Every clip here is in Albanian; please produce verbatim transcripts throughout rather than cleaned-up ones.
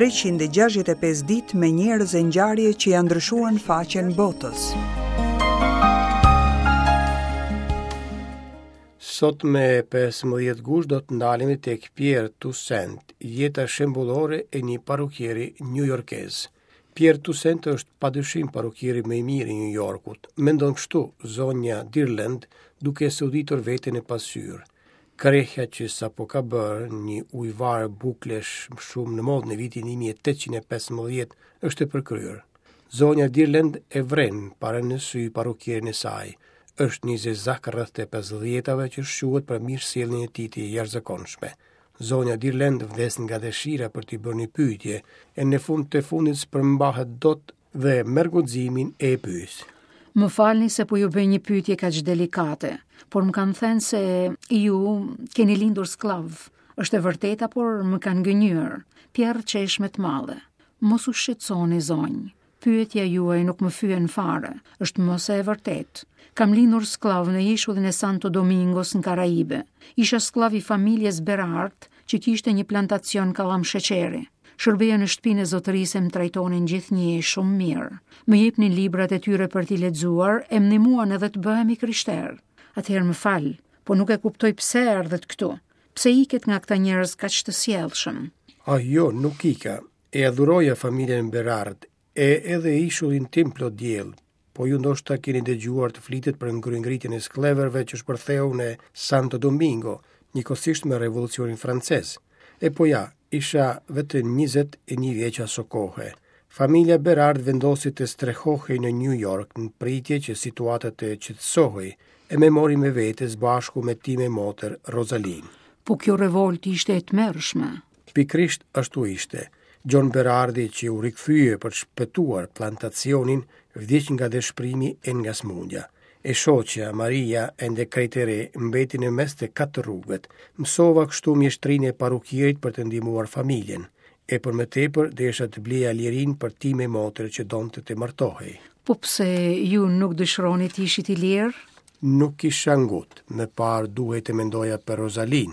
treqind e gjashtëdhjetë e pesë ditë me njerëz e ngjarje që janë ndryshuar në faqen botës. Sot me pesëmbëdhjetë gusht do të ndalemi tek Pierre Toussaint, jeta shembullore e një parukieri njujorkez. Pierre Toussaint është padyshim parukieri më i mirë i New Yorkut. Mendon kështu zonja Dirland, duke soditur veten në pasqyrë. Krehja që sapo ka bërë një ujëvarë buklesh shumë në modë në vitin një mijë e tetëqind e pesëmbëdhjetë është e përkryer. Zonja Dirland e vren para në sy parukierin e saj. Është një zezak rreth të pesëdhjetave që shquhet për mirësjelljen e tij të jashtëzakonshme. Zonja Dirland vdes nga dëshira për t'i bërë një pyetje, e në fund të fundit s'përmbahet dot dhe merr guximin e e pyes. Më falni se po ju bëj një pyetje kaq delikate, por më kanë thënë se ju keni lindur skllav. Është e vërtetë apo më kanë gënjur? Pierre qesh me të madhe. Mos u shqetësoni, zonjë. Pyetja juaj nuk më fyen fare, është më se e vërtetë. Kam lindur skllav në ishullin e Santo Domingos në Karaibe. Isha skllav i familjes Berard, që kishte një plantacion kallam sheqeri. Shërbeja në shtëpinë e zotërisë e më trajtonin gjithnjë shumë mirë. Më jepnin librat e tyre për t'i lexuar e më ndihmuan edhe të bëhem i krishterë. Atëherë më fal, po nuk e kuptoj pse erdhët këtu. Pse iket nga këta njerëz kaq të sjellshëm? Ah, jo, nuk ika. E adhuroja familjen Berard, e edhe ishullin tim plot diell. Po ju ndoshta keni dëgjuar të flitet për ngryngritjen e skllevërve që shpërtheu në Santo Domingo, njëkohësisht me revolucionin francez. E po ja, isha vetëm njëzet e një vjeç aso kohe. Familja Berard vendosi të strehohej në New York në pritje që situata të qetësohej, e me mori me vete së bashku me time motër Rosalin. Po kjo revolt ishte e tmerrshme. Pikërisht ashtu ishte. John Berardi, që u rikthye për të shpëtuar plantacionin, vdiq nga dëshpërimi e nga smundja. E shoqja Maria, ende krejt e re, mbeti në mes të katër rrugët. Mësova kështu mjeshtrinë e parukierit për të ndihmuar familjen. E për më tepër desha të bleja lirinë për time motër që donte të martohej. Po pse ju nuk dëshironi të ishit i lirë? Nuk kisha ngut, më parë duhej të mendoja për Rosalin.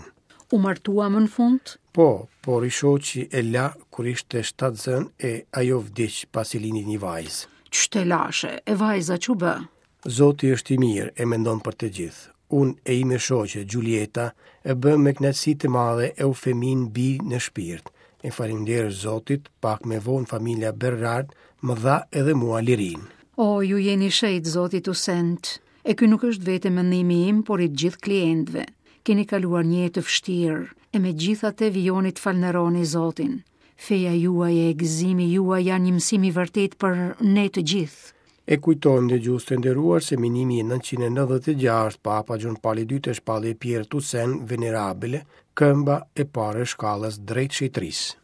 U martua më në fund? Po, por i shoqi e la kur ishte shtatzën e ajo vdiq pasi lindi një vajzë. Ç'të lashe, e vajza ç'u bë? Zoti është i mirë e mendon për të gjithë. Unë e ime shoqe, Giulietta, e bëm me kënaqësi të madhe Eufemin bi në shpirt. E faleminderit Zotit, pak më vonë familja Berard më dha edhe mua lirinë. O, ju jeni shejt, Zoti Toussaint. E ky nuk është vetëm mendimi im, por i të gjithë klientëve. Keni kaluar një jetë të vështirë, e megjithatë vijoni të falënderoni Zotin. Feja juaj e gëzimi juaj janë një mësim i vërtet për ne të gjithë. E kujtojmë dëgjues të nderuar se më një mijë e nëntëqind e nëntëdhjetë e gjashtë Papa Gjon Pali i dytë e shpalli Pierre Toussaint venerabile, këmba e parë e shkallës drejt shenjtërisë.